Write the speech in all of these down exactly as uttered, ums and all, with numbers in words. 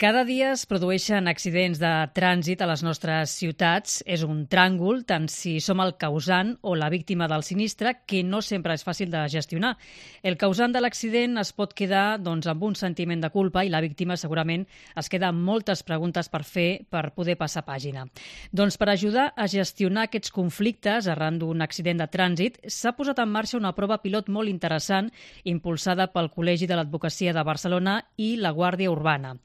Cada dia es produeixen accidents de trànsit a les nostres ciutats. És un tràngol, tant si som el causant o la víctima del sinistre, que no sempre és fàcil de gestionar. El causant de l'accident es pot quedar doncs, amb un sentiment de culpa i la víctima segurament es queda amb moltes preguntes per fer per poder passar pàgina. Doncs per ajudar a gestionar aquests conflictes arran d'un accident de trànsit, s'ha posat en marxa una prova pilot molt interessant impulsada pel Col·legi de l'Advocacia de Barcelona i la Guàrdia Urbana.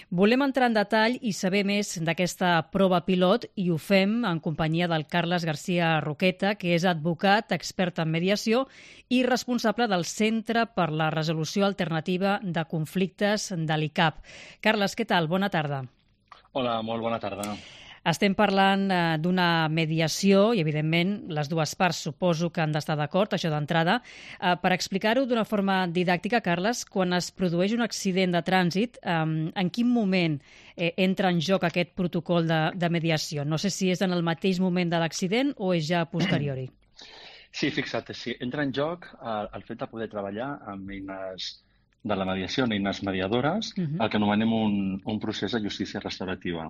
Volem entrar en detall i saber més d'aquesta prova pilot i ho fem en companyia del Carles García Roqueta, que és advocat, expert en mediació i responsable del Centre per la Resolució Alternativa de Conflictes de l'I C A P. Carles, què tal? Bona tarda. Hola, molt bona tarda. Estem parlant eh, d'una mediació i, evidentment, les dues parts suposo que han d'estar d'acord, això d'entrada. Eh, per explicar-ho d'una forma didàctica, Carles, quan es produeix un accident de trànsit, eh, en quin moment eh, entra en joc aquest protocol de, de mediació? No sé si és en el mateix moment de l'accident o és ja a posteriori. Sí, fixa't, sí. Entra en joc el, el fet de poder treballar amb eines de la mediació, en eines mediadores, uh-huh. el que anomenem un, un procés de justícia restaurativa.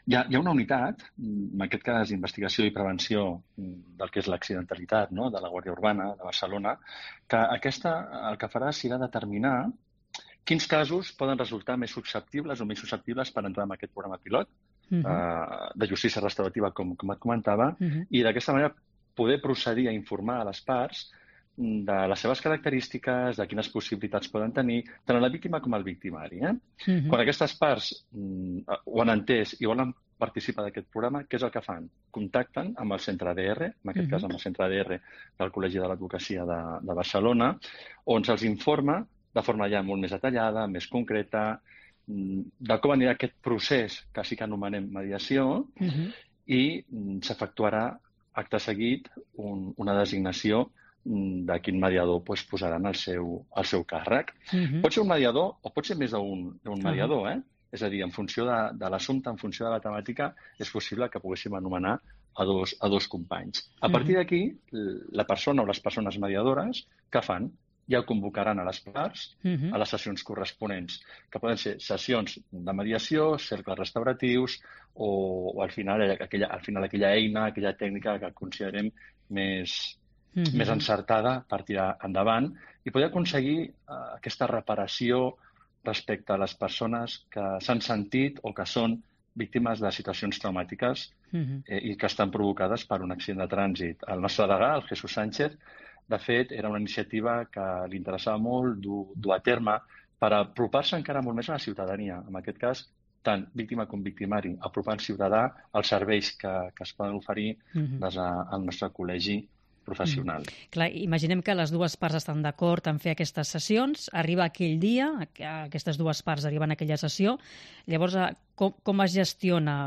Hi ha, hi ha una unitat, en aquest cas investigació i prevenció del que és l'accidentalitat, no?, de la Guàrdia Urbana de Barcelona, que aquesta el que farà serà determinar quins casos poden resultar més susceptibles o més susceptibles per entrar en aquest programa pilot uh-huh. eh, de justícia restaurativa, com, com et comentava, uh-huh. i d'aquesta manera poder procedir a informar a les parts de les seves característiques, de quines possibilitats poden tenir, tant a la víctima com al victimari. Eh? Uh-huh. Quan aquestes parts mm, ho han entès i volen participar d'aquest programa, què és el que fan? Contacten amb el centre A D R, en aquest uh-huh. cas amb el centre A D R del Col·legi de l'Advocacia de, de Barcelona, on se'ls informa de forma ja molt més detallada, més concreta, de com anirà aquest procés que sí que anomenem mediació uh-huh. i s'efectuarà acte seguit un, una designació de quin mediador pues, posaran al seu, al seu càrrec. Uh-huh. Pot ser un mediador o pot ser més d'un uh-huh. mediador, eh? És a dir, en funció de, de l'assumpte, en funció de la temàtica, és possible que poguéssim anomenar a dos, a dos companys. A partir d'aquí, la persona o les persones mediadores, què fan? Ja convocaran a les parts uh-huh. a les sessions corresponents, que poden ser sessions de mediació, cercles restauratius o, o al, final, aquella, al final aquella eina, aquella tècnica que considerem més... Mm-hmm. més encertada per tirar endavant i poder aconseguir uh, aquesta reparació respecte a les persones que s'han sentit o que són víctimes de situacions traumàtiques mm-hmm. eh, i que estan provocades per un accident de trànsit. El nostre degà, el Jesús Sánchez, de fet, era una iniciativa que li interessava molt dur, dur a terme per apropar-se encara molt més a la ciutadania. En aquest cas, tant víctima com victimari, apropant ciutadà als serveis que, que es poden oferir mm-hmm. des del nostre col·legi professional. Mm. Clar, imaginem que les dues parts estan d'acord en fer aquestes sessions, arriba aquell dia, aquestes dues parts arriben a aquella sessió, llavors com, com es gestiona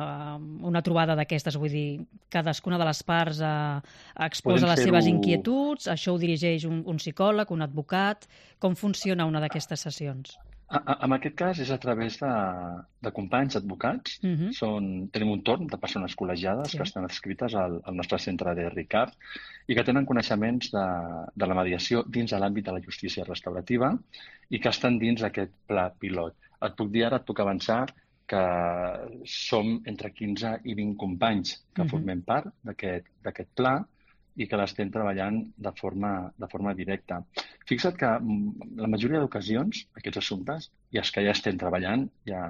una trobada d'aquestes? Vull dir, cadascuna de les parts eh, exposa les seves inquietuds, això ho dirigeix un, un psicòleg, un advocat, com funciona una d'aquestes sessions? En aquest cas és a través de, de companys advocats. Uh-huh. Són, tenim un torn de persones col·legiades sí. que estan adscrites al, al nostre centre de R I C A P i que tenen coneixements de, de la mediació dins de l'àmbit de la justícia restaurativa i que estan dins d'aquest pla pilot. Et puc dir ara, et puc avançar que som entre quinze i vint companys que uh-huh. formem part d'aquest pla i que l'estem treballant de forma, de forma directa. Fixa't que la majoria d'ocasions, aquests assumptes, i els que ja estem treballant, ja,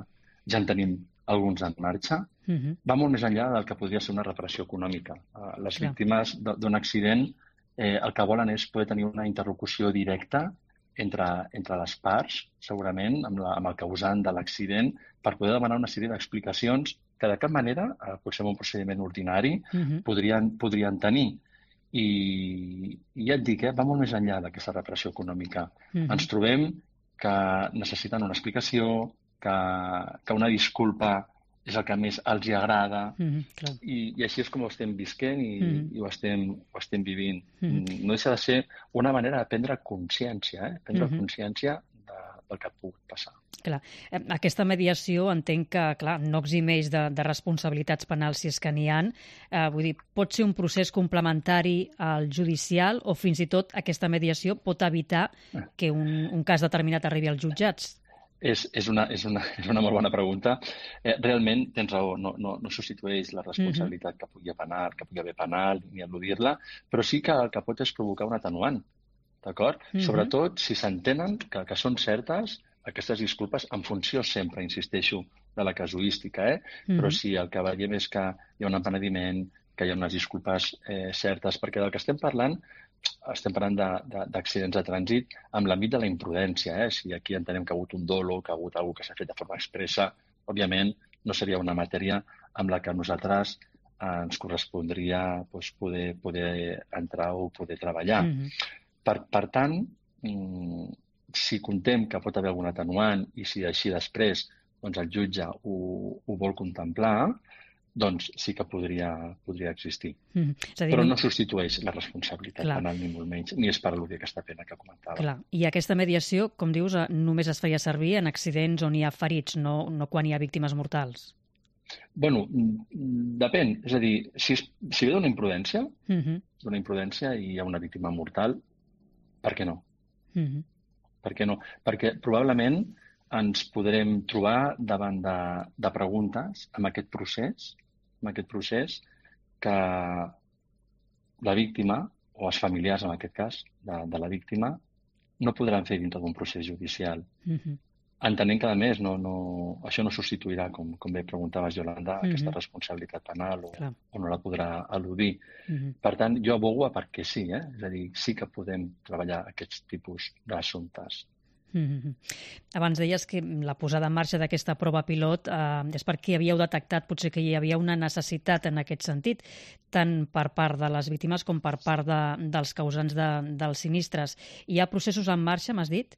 ja en tenim alguns en marxa, uh-huh. va molt més enllà del que podria ser una reparació econòmica. Uh, les Clar. víctimes d'un accident eh, el que volen és poder tenir una interlocució directa entre, entre les parts, segurament, amb, la, amb el causant de l'accident, per poder demanar una sèrie d'explicacions que de cap manera, eh, pot ser un procediment ordinari, uh-huh. podrien, podrien tenir. I, i ja et dic, eh, va molt més enllà d'aquesta reparació econòmica. Uh-huh. Ens trobem que necessiten una explicació, que, que una disculpa és el que més els hi agrada uh-huh, i, i així és com ho estem visquent i, uh-huh. i ho, estem, ho estem vivint. Uh-huh. No deixa de ser una manera de prendre consciència, eh? prendre uh-huh. consciència de, del que pugui passar. Clar. Aquesta mediació entenc que clar, no eximeix de, de responsabilitats penals si és que n'hi ha. Eh, vull dir, pot ser un procés complementari al judicial o fins i tot aquesta mediació pot evitar que un, un cas determinat arribi als jutjats. És, és, una, és, una, és una molt bona pregunta. Eh, realment tens raó, no, no, no substitueix la responsabilitat que pugui penal, que pugui haver penal, ni eludir-la, però sí que el que pot és provocar un atenuant, d'acord? Uh-huh. Sobretot si s'entenen que, que són certes aquestes disculpes en funció sempre, insisteixo, de la casuística, eh? Uh-huh. Però si el que veiem és que hi ha un empenediment, que hi ha unes disculpes eh, certes, perquè del que estem parlant estem parlant d'accidents de, de, de trànsit amb l'àmbit de la imprudència. Eh? Si aquí entenem que ha hagut un dolo, que ha hagut alguna que s'ha fet de forma expressa, òbviament no seria una matèria amb la que nosaltres eh, ens correspondria doncs, poder, poder entrar o poder treballar. Mm-hmm. Per, per tant, mm, si contem que pot haver algun atenuant i si així després doncs, el jutge ho, ho vol contemplar, doncs sí que podria, podria existir. Mm. Dir, però no substitueix la responsabilitat penal ni molt menys, ni és per al·ludir aquesta pena que comentava. Clar. I aquesta mediació, com dius, només es feia servir en accidents on hi ha ferits, no, no quan hi ha víctimes mortals? Bueno, depèn. És a dir, si, si ve d'una imprudència, uh-huh. d'una imprudència i hi ha una víctima mortal, per què no? Uh-huh. Per què no? Perquè probablement ens podrem trobar davant de, de preguntes amb aquest procés, amb aquest procés que la víctima, o els familiars en aquest cas, de, de la víctima, no podran fer dintre d'un procés judicial. Uh-huh. Entenent que, a més, no, no, això no substituirà, com, com bé preguntaves, Yolanda, uh-huh. aquesta responsabilitat penal o, o no la podrà eludir. Uh-huh. Per tant, jo abogo a perquè sí, eh? És a dir, sí que podem treballar aquests tipus d'assumptes. Mm-hmm. Abans deies que la posada en marxa d'aquesta prova pilot eh, és perquè havíeu detectat potser que hi havia una necessitat en aquest sentit, tant per part de les víctimes com per part de, dels causants de, dels sinistres. Hi ha processos en marxa, m'has dit?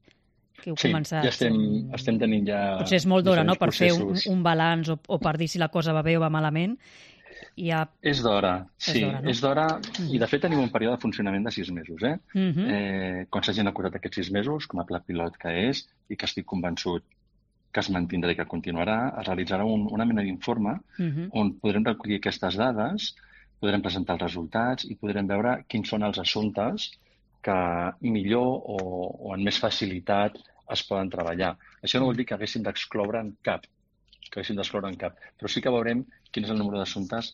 Que heu sí, començat... ja estem, estem tenint ja... Potser és molt d'hora, no?, per processos. fer un, un balanç o, o per dir si la cosa va bé o va malament. Ha... És d'hora, sí, és d'hora, no? mm. I de fet tenim un període de funcionament de sis mesos. Eh? Mm-hmm. eh, quan s'hagin acordat aquests sis mesos, com a pla pilot que és, i que estic convençut que es mantindrà i que continuarà, es realitzarà un, una mena d'informe mm-hmm. on podrem recollir aquestes dades, podrem presentar els resultats i podrem veure quins són els assumptes que millor o, o amb més facilitat es poden treballar. Això no vol dir que haguéssim d'excloure en cap, que haguéssim d'excloure en cap, però sí que veurem quin és el número d'assumptes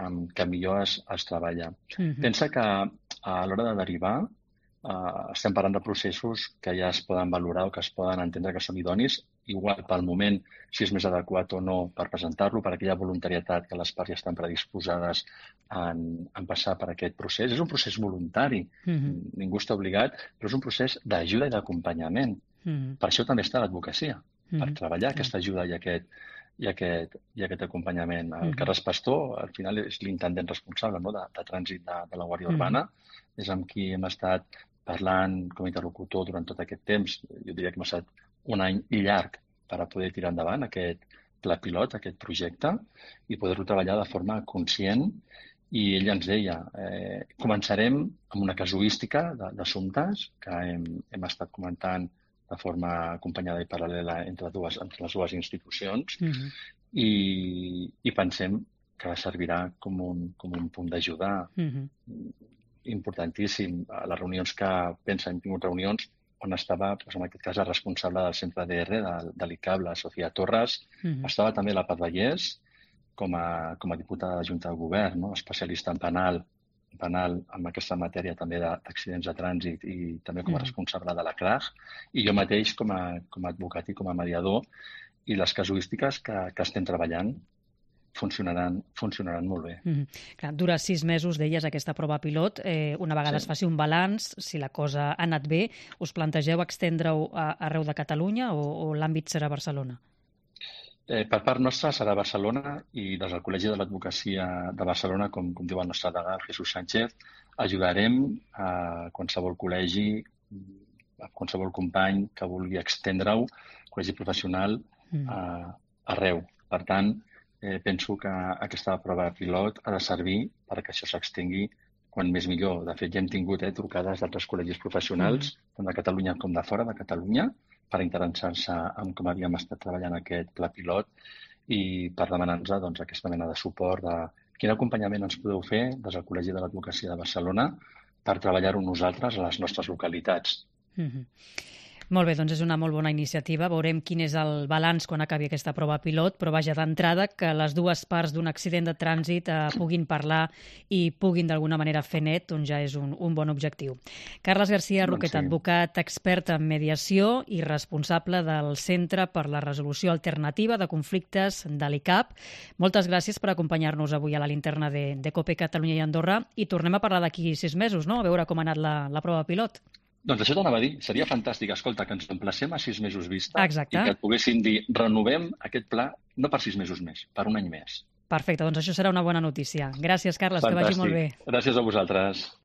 um, que millor es, es treballa. Mm-hmm. Pensa que a l'hora de derivar uh, estem parlant de processos que ja es poden valorar o que es poden entendre que són idonis, igual pel moment si és més adequat o no per presentar-lo, per aquella voluntarietat que les parts ja estan predisposades en, en passar per aquest procés. És un procés voluntari, mm-hmm. ningú està obligat, però és un procés d'ajuda i d'acompanyament. Mm-hmm. Per això també està l'advocacia, mm-hmm. per treballar aquesta ajuda i aquest i aquest, i aquest acompanyament. El Carles Pastor, al final, és l'intendent responsable, no?, de, de trànsit de, de la Guàrdia Urbana. Mm. És amb qui hem estat parlant com a interlocutor durant tot aquest temps. Jo diria que hem estat un any llarg per a poder tirar endavant aquest pla pilot, aquest projecte, i poder-lo treballar de forma conscient. I ell ens deia, eh, començarem amb una casuística d'assumptes que hem, hem estat comentant de forma acompanyada i paral·lela entre, dues, entre les dues institucions, mm-hmm. i, i pensem que servirà com un, com un punt d'ajuda mm-hmm. importantíssim. A les reunions que pensa, hem tingut reunions on estava, doncs, en aquest cas, la responsable del centre D R de, de l'I C A B, la Sofia Torres, mm-hmm. estava també la Paz Vallès, com a, com a diputada de Junta de Govern, no?, especialista en penal, penal amb aquesta matèria també d'accidents de, de trànsit i també com a responsable de la C R A G, i jo mateix com a, com a advocat i com a mediador, i les casuístiques que, que estem treballant funcionaran, funcionaran molt bé. Mm-hmm. Clar, dura sis mesos, deies, aquesta prova pilot. Eh, una vegada sí. es faci un balanç, si la cosa ha anat bé, us plantegeu extendre-ho a, arreu de Catalunya o, o l'àmbit serà Barcelona? Eh, per part nostra serà Barcelona i des del Col·legi de l'Advocacia de Barcelona, com, com diu el nostre degà, Jesús Sánchez, ajudarem a qualsevol col·legi, a qualsevol company que vulgui extendre-ho, col·legi professional, mm. a, arreu. Per tant, eh, penso que aquesta prova pilot ha de servir perquè això s'extengui quan més millor. De fet, ja hem tingut eh, trucades d'altres col·legis professionals, mm. tant de Catalunya com de fora de Catalunya, per interessar-se en com havíem estat treballant aquest pla pilot i per demanar-nos doncs, aquesta mena de suport de quin acompanyament ens podeu fer des del Col·legi de l'Advocacia de Barcelona per treballar-ho nosaltres a les nostres localitats. Mm-hmm. Molt bé, doncs és una molt bona iniciativa. Veurem quin és el balanç quan acabi aquesta prova pilot, però vaja, d'entrada que les dues parts d'un accident de trànsit eh, puguin parlar i puguin d'alguna manera fer net, doncs ja és un, un bon objectiu. Carles García Roquet, Doncs sí. advocat expert en mediació i responsable del Centre per la Resolució Alternativa de Conflictes de l'I C A P. Moltes gràcies per acompanyar-nos avui a la linterna de, de COPE Catalunya i Andorra i tornem a parlar d'aquí sis mesos, no? A veure com ha anat la, la prova pilot. Doncs això t'anava a dir. Seria fantàstic, escolta, que ens emplacem a sis mesos vista. Exacte. I que et poguéssim dir, renovem aquest pla no per sis mesos més, per un any més. Perfecte, doncs això serà una bona notícia. Gràcies, Carles, Fantàstic. Que vagi molt bé. Gràcies a vosaltres.